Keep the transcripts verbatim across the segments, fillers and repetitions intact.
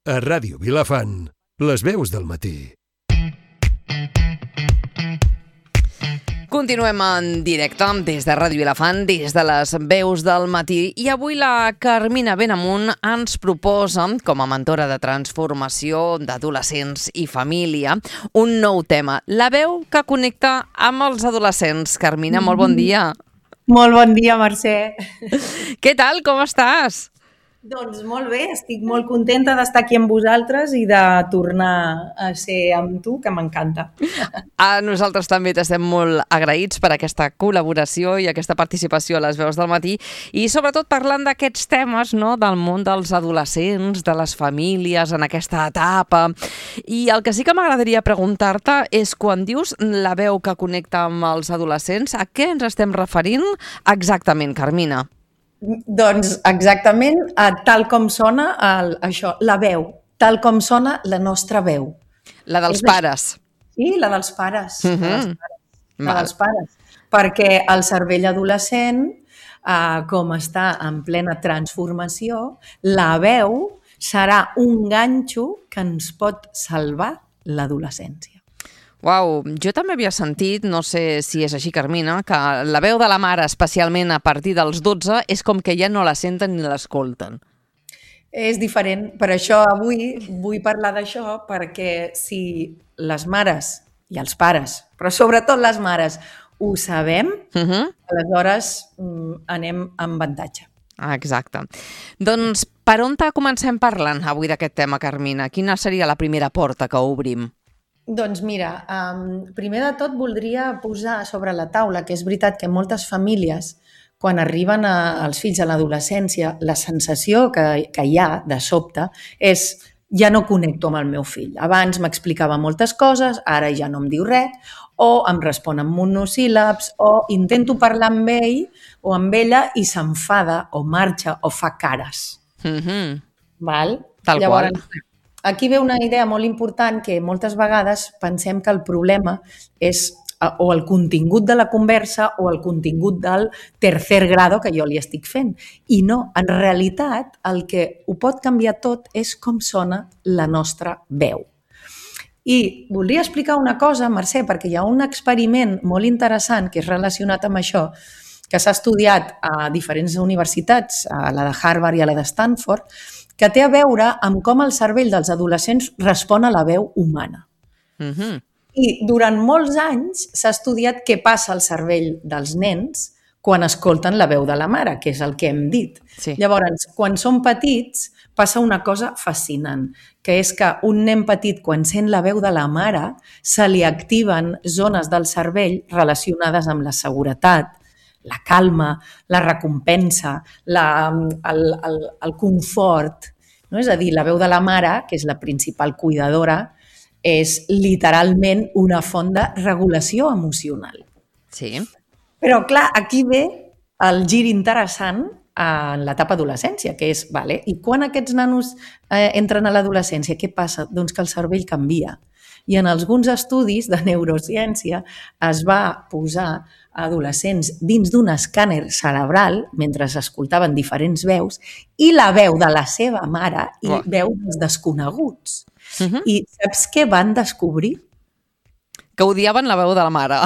A Ràdio Vilafant, les veus del matí. Continuem en directe des de Ràdio Vilafant, des de les veus del matí. I avui la Carmina Benamunt ens proposa, com a mentora de transformació d'adolescents i família, un nou tema, la veu que connecta amb els adolescents. Carmina, molt bon dia. Molt bon dia, Mercè. Què tal? Com estàs? Doncs molt bé, estic molt contenta d'estar aquí amb vosaltres i de tornar a ser amb tu, que m'encanta. A nosaltres també t'estem molt agraïts per aquesta col·laboració i aquesta participació a les veus del matí i sobretot parlant d'aquests temes, no?, del món dels adolescents, de les famílies en aquesta etapa. I el que sí que m'agradaria preguntar-te és quan dius la veu que connecta amb els adolescents, a què ens estem referint exactament, Carmina? Doncs exactament a tal com sona el, això, la veu, tal com sona la nostra veu. La dels pares. Sí, la dels pares. Mm-hmm. La dels pares. La dels pares. Perquè el cervell adolescent, eh, com està en plena transformació, la veu serà un ganxo que ens pot salvar l'adolescència. Uau, jo també havia sentit, no sé si és així, Carmina, que la veu de la mare, especialment a partir dels dotze, és com que ja no la senten ni l'escolten. És diferent. Per això avui vull parlar d'això, perquè si les mares i els pares, però sobretot les mares, ho sabem, uh-huh. aleshores anem amb avantatge. Ah, exacte. Doncs per on comencem parlant avui d'aquest tema, Carmina? Quina seria la primera porta que obrim? Doncs mira, um, primer de tot voldria posar sobre la taula que és veritat que moltes famílies, quan arriben a, als fills a l'adolescència, la sensació que, que hi ha de sobte és ja no connecto amb el meu fill. Abans m'explicava moltes coses, ara ja no em diu res, o em respon amb monosíl·labs, o intento parlar amb ell o amb ella i s'enfada o marxa o fa cares. Mm-hmm. Val? Tal Llavors, qual. Aquí ve una idea molt important que moltes vegades pensem que el problema és o el contingut de la conversa o el contingut del tercer grado que jo li estic fent. I no, en realitat el que ho pot canviar tot és com sona la nostra veu. I voldria explicar una cosa, Mercè, perquè hi ha un experiment molt interessant que és relacionat amb això, que s'ha estudiat a diferents universitats, a la de Harvard i a la de Stanford, que té a veure amb com el cervell dels adolescents respon a la veu humana. Mm-hmm. I durant molts anys s'ha estudiat què passa al cervell dels nens quan escolten la veu de la mare, que és el que hem dit. Sí. Llavors, quan són petits, passa una cosa fascinant, que és que un nen petit, quan sent la veu de la mare, se li activen zones del cervell relacionades amb la seguretat, la calma, la recompensa, la, el, el, el confort. No? És a dir, la veu de la mare, que és la principal cuidadora, és literalment una font de regulació emocional. Sí. Però, clar, aquí ve el gir interessant en l'etapa adolescència, que és, vale, i quan aquests nanos eh, entren a l'adolescència, què passa? Doncs que el cervell canvia. I en alguns estudis de neurociència es va posar adolescents dins d'un escàner cerebral mentre escoltaven diferents veus i la veu de la seva mare i oh. veus dels desconeguts. Uh-huh. I saps què van descobrir? Que odiaven la veu de la mare.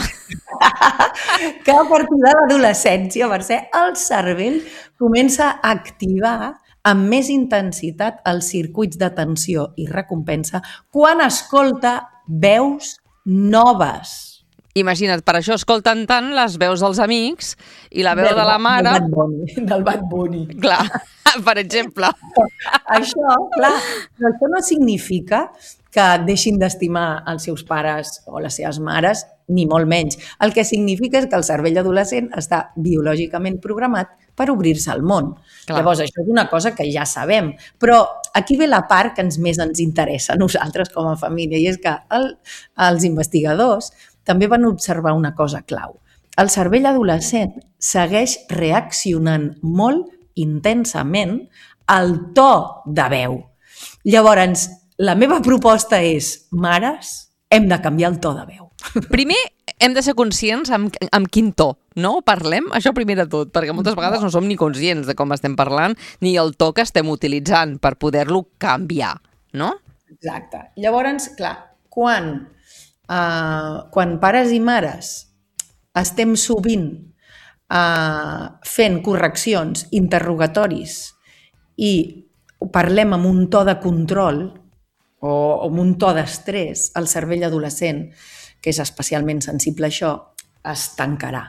Que a partir de l'adolescència, Mercè, el cervell comença a activar amb més intensitat els circuits d'atenció i recompensa quan escolta veus noves. Imagina't, per això escolten tant les veus dels amics i la veu del, de la mare... Del Bad Bunny. Del Bad Bunny. Clar, per exemple. Això, clar, això no significa que deixin d'estimar els seus pares o les seves mares, ni molt menys. El que significa és que el cervell adolescent està biològicament programat per obrir-se al món. Clar. Llavors, això és una cosa que ja sabem. Però aquí ve la part que ens més ens interessa a nosaltres com a família, i és que el, els investigadors també van observar una cosa clau. El cervell adolescent segueix reaccionant molt intensament al to de veu. Llavors, la meva proposta és, mares, hem de canviar el to de veu. Primer, hem de ser conscients amb, amb quin to, no? Parlem, això primer de tot, perquè moltes vegades no som ni conscients de com estem parlant ni el to que estem utilitzant per poder-lo canviar, no? Exacte. Llavors, clar, quan, uh, quan pares i mares estem sovint uh, fent correccions, interrogatoris i parlem amb un to de control o amb un to d'estrès, el cervell adolescent, que és especialment sensible a això, es tancarà.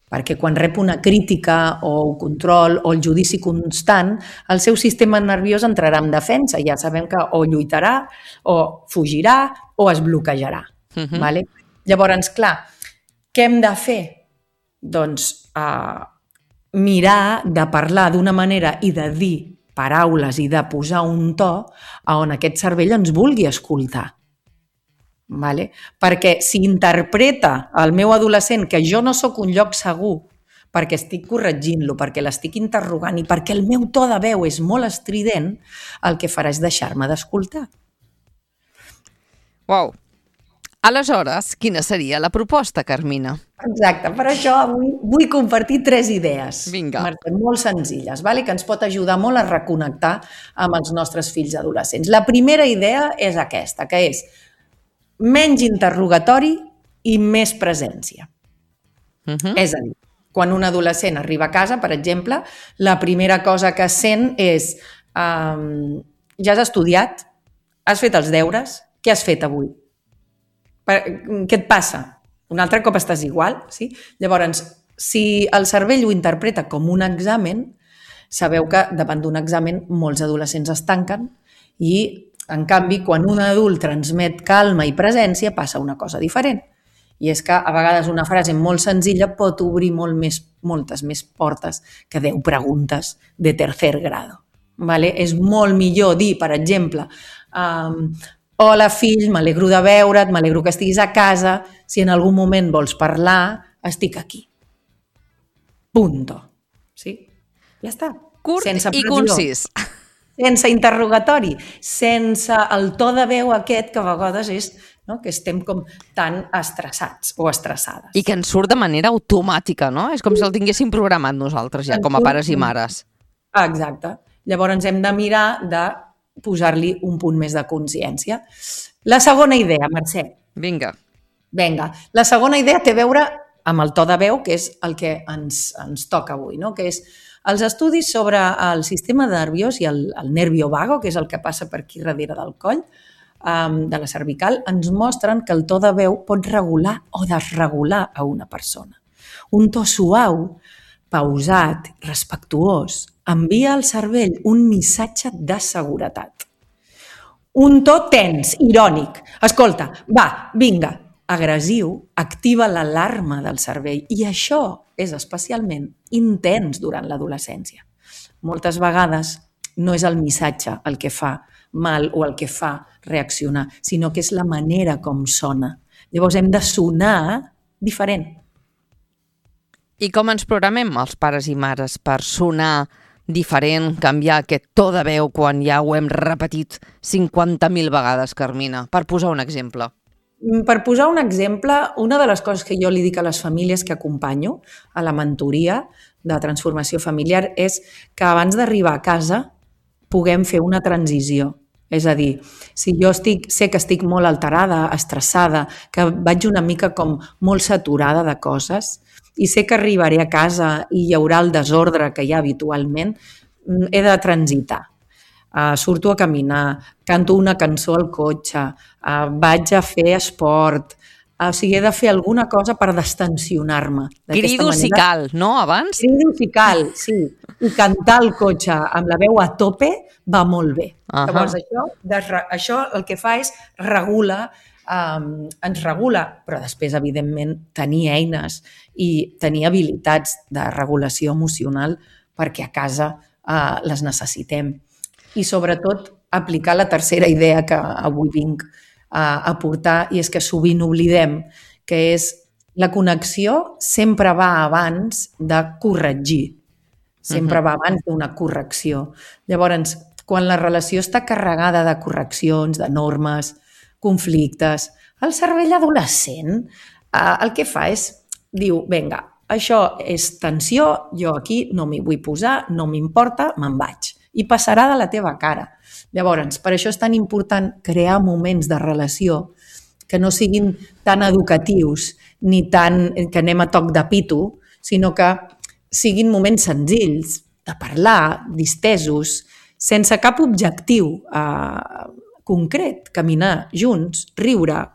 Perquè quan rep una crítica o un control o el judici constant, el seu sistema nerviós entrarà en defensa. Ja sabem que o lluitarà, o fugirà, o es bloquejarà. Uh-huh. Vale? Llavors, clar, què hem de fer? Doncs uh, mirar de parlar d'una manera i de dir paraules i de posar un to on aquest cervell ens vulgui escoltar. Vale? Perquè si interpreta el meu adolescent que jo no sóc un lloc segur perquè estic corregint-lo, perquè l'estic interrogant i perquè el meu to de veu és molt estrident, el que farà és deixar-me d'escoltar. Uau! Aleshores, quina seria la proposta, Carmina? Exacte, per això avui vull compartir tres idees. Vinga. Mercè, molt senzilles, vale? Que ens pot ajudar molt a reconnectar amb els nostres fills adolescents. La primera idea és aquesta, que és menys interrogatori i més presència. Uh-huh. És a dir, quan un adolescent arriba a casa, per exemple, la primera cosa que sent és um, ja has estudiat? Has fet els deures? Què has fet avui? Per, què et passa? Un altre cop estàs igual? Sí? Llavors, si el cervell ho interpreta com un examen, sabeu que davant d'un examen molts adolescents es tanquen i en canvi, quan un adult transmet calma i presència, passa una cosa diferent. I és que a vegades una frase molt senzilla pot obrir molt més, moltes més portes que deu preguntes de tercer grado. Vale? És molt millor dir, per exemple, um, hola fill, m'alegro de veure't, m'alegro que estiguis a casa, si en algun moment vols parlar, estic aquí. Punto. Sí? Ja està. Curt Sense i pressió. concís. Sense interrogatori, sense el to de veu aquest que a vegades és, no?, que estem com tan estressats o estressades. I que ens surt de manera automàtica, no? És com si el tinguéssim programat nosaltres ja, com a pares i mares. Exacte. Llavors hem de mirar de posar-li un punt més de consciència. La segona idea, Mercè. Vinga. Vinga. La segona idea té a veure amb el to de veu, que és el que ens, ens toca avui, no? Que és els estudis sobre el sistema nerviós i el, el nervio vago, que és el que passa per aquí darrere del coll, um, de la cervical, ens mostren que el to de veu pot regular o desregular a una persona. Un to suau, pausat, respectuós, envia al cervell un missatge de seguretat. Un to tens, irònic. Escolta, va, vinga, agressiu, activa l'alarma del cervell i això és especialment intens durant l'adolescència. Moltes vegades no és el missatge el que fa mal o el que fa reaccionar, sinó que és la manera com sona. Llavors hem de sonar diferent. I com ens programem els pares i mares per sonar diferent, canviar aquest to de veu quan ja ho hem repetit cinquanta mil vegades, Carmina? Per posar un exemple. Per posar un exemple, una de les coses que jo li dic a les famílies que acompanyo a la mentoria de transformació familiar és que abans d'arribar a casa puguem fer una transició. És a dir, si jo estic, sé que estic molt alterada, estressada, que vaig una mica com molt saturada de coses i sé que arribaré a casa i hi haurà el desordre que hi ha habitualment, he de transitar. Uh, surto a caminar, canto una cançó al cotxe, uh, vaig a fer esport, uh, o sigui, he de fer alguna cosa per destensionar-me. Crido si cal, no, abans? Crido si cal, sí. I cantar al cotxe amb la veu a tope va molt bé. Uh-huh. Llavors, això, de, això el que fa és regula, um, ens regula, però després, evidentment, tenir eines i tenir habilitats de regulació emocional perquè a casa uh, les necessitem. I sobretot aplicar la tercera idea que avui vinc a aportar i és que sovint oblidem, que és la connexió sempre va abans de corregir, sempre uh-huh. va abans d'una correcció. Llavors, quan la relació està carregada de correccions, de normes, conflictes, el cervell adolescent eh, el que fa és, diu, vinga, això és tensió, jo aquí no m'hi vull posar, no m'importa, me'n vaig. i passarà de la teva cara. Llavors, per això és tan important crear moments de relació que no siguin tan educatius ni tan que anem a toc de pito, sinó que siguin moments senzills, de parlar, distesos, sense cap objectiu eh, concret, caminar junts, riure,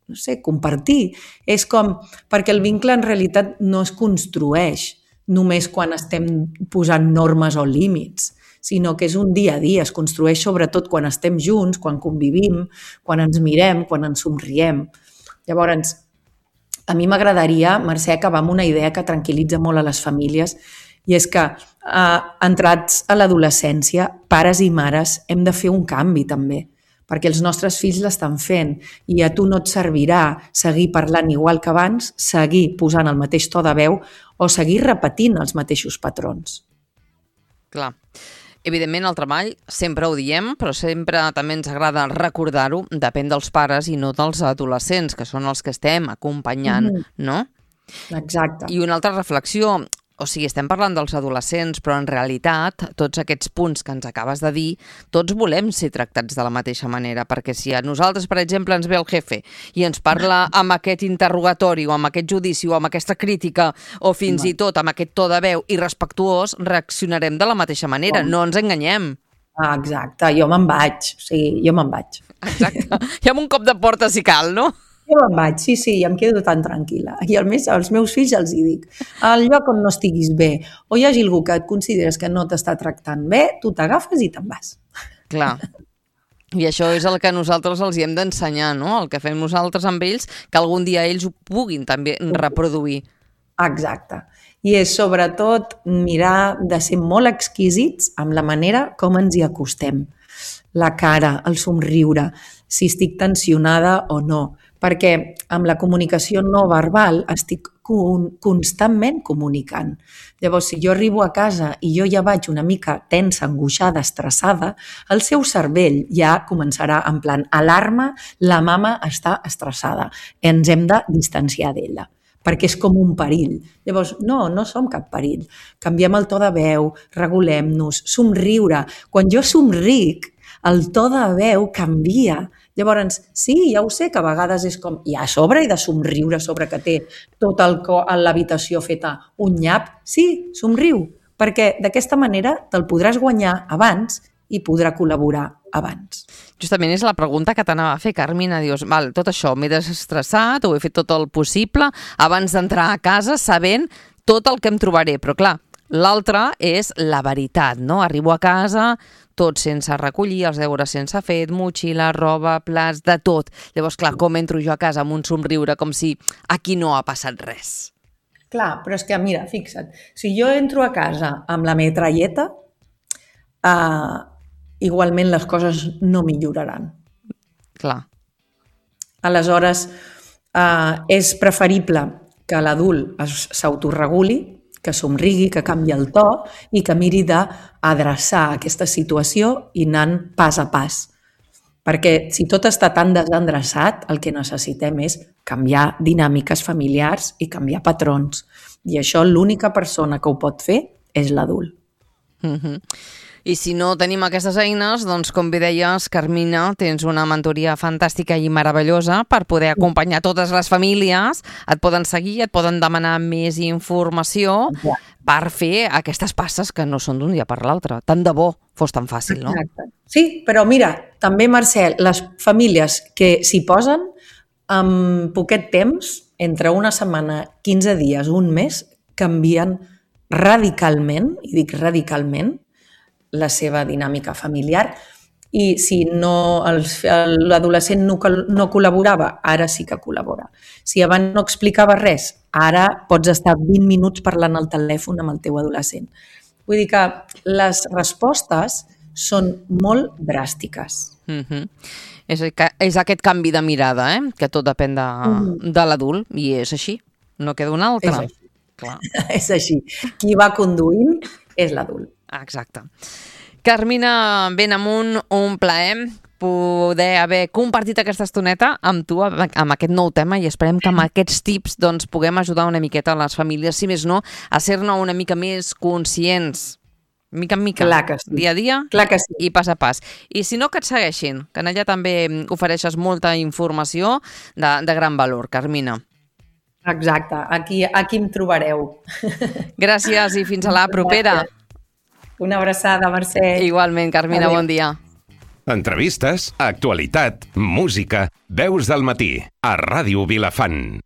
no sé, compartir. És com, perquè el vincle en realitat no es construeix només quan estem posant normes o límits, sinó que és un dia a dia, es construeix sobretot quan estem junts, quan convivim, quan ens mirem, quan ens somriem. Llavors, a mi m'agradaria, Mercè, acabar amb una idea que tranquil·litza molt a les famílies, i és que, eh, entrats a l'adolescència, pares i mares hem de fer un canvi també, perquè els nostres fills l'estan fent i a tu no et servirà seguir parlant igual que abans, seguir posant el mateix to de veu o seguir repetint els mateixos patrons. Clar. Evidentment, el treball, sempre ho diem, però sempre també ens agrada recordar-ho, depèn dels pares i no dels adolescents, que són els que estem acompanyant, mm-hmm. no? Exacte. I una altra reflexió, o sigui, estem parlant dels adolescents, però en realitat tots aquests punts que ens acabes de dir, tots volem ser tractats de la mateixa manera, perquè si a nosaltres, per exemple, ens ve el jefe i ens parla amb aquest interrogatori o amb aquest judici o amb aquesta crítica o fins i tot amb aquest to de veu irrespectuós, reaccionarem de la mateixa manera, no ens enganyem. Ah, exacte, jo me'n vaig, o sigui, jo me'n vaig. Exacte, i amb un cop de porta si cal, no? Jo me'n vaig, sí, sí, i em quedo tan tranquil·la. I a més, als meus fills els hi dic, al lloc on no estiguis bé o hi hagi algú que et consideres que no t'està tractant bé, tu t'agafes i te'n vas. Clar. I això és el que nosaltres els hi hem d'ensenyar, no? El que fem nosaltres amb ells, que algun dia ells ho puguin també reproduir. Exacte. I és sobretot mirar de ser molt exquisits amb la manera com ens hi acostem. La cara, el somriure, si estic tensionada o no. Perquè amb la comunicació no verbal estic constantment comunicant. Llavors, si jo arribo a casa i jo ja vaig una mica tensa, angoixada, estressada, el seu cervell ja començarà en plan alarma, la mama està estressada, ens hem de distanciar d'ella, perquè és com un perill. Llavors, no, no som cap perill. Canviem el to de veu, regulem-nos, somriure. Quan jo somric, el to de veu canvia. Llavors, sí, ja ho sé, que a vegades és com, i a sobre he de somriure sobre que té tot el cor a l'habitació feta un nyap. Sí, somriu, perquè d'aquesta manera te'l podràs guanyar abans i podrà col·laborar abans. Justament és la pregunta que t'anava a fer, Carmina. Dius, val, tot això m'he desestressat, ho he fet tot el possible abans d'entrar a casa sabent tot el que em trobaré, però clar, l'altre és la veritat, no? Arribo a casa, tot sense recollir, els deures sense fet, motxilla, roba, plats, de tot. Llavors, clar, com entro jo a casa amb un somriure com si aquí no ha passat res? Clar, però és que, mira, fixa't, si jo entro a casa amb la metralleta, eh, igualment les coses no milloraran. Clar. Aleshores, eh, és preferible que l'adult s'autoreguli, que somrigui, que canvi el to i que miri d'adreçar aquesta situació i anant pas a pas. Perquè si tot està tan desendreçat, el que necessitem és canviar dinàmiques familiars i canviar patrons. I això l'única persona que ho pot fer és l'adult. Mm-hmm. I si no tenim aquestes eines, doncs, com bé deies, Carmina, tens una mentoria fantàstica i meravellosa per poder acompanyar totes les famílies. Et poden seguir, et poden demanar més informació ja. per fer aquestes passes que no són d'un dia per l'altre. Tant de bo fos tan fàcil, no? Exacte. Sí, però mira, també, Mercè, les famílies que s'hi posen, en poquet temps, entre una setmana, quinze dies, un mes, canvien radicalment, i dic radicalment, la seva dinàmica familiar, i si no l'adolescent no, no col·laborava, ara sí que col·labora. Si abans no explicava res, ara pots estar vint minuts parlant al telèfon amb el teu adolescent. Vull dir que les respostes són molt dràstiques. Mm-hmm. És, és aquest canvi de mirada, eh? Que tot depèn de, mm-hmm. de l'adult, i és així, no queda un altre. És així. Clar. És així. Qui va conduint és l'adult. Exacte. Carmina Benamunt, un plaer poder haver compartit aquesta estoneta amb tu, amb aquest nou tema, i esperem que amb aquests tips doncs, puguem ajudar una miqueta a les famílies, si més no, a ser-ne una mica més conscients mica en mica, Clar que sí. dia a dia Clar que sí. i pas a pas. I si no, que et segueixin, que en allà també ofereixes molta informació de, de gran valor, Carmina. Exacte, aquí, aquí em trobareu. Gràcies i fins a la propera. Una abraçada, Mercè. Igualment, Carmina, Adéu. bon dia. Entrevistes, actualitat, música, veus del matí, a Ràdio Vilafant.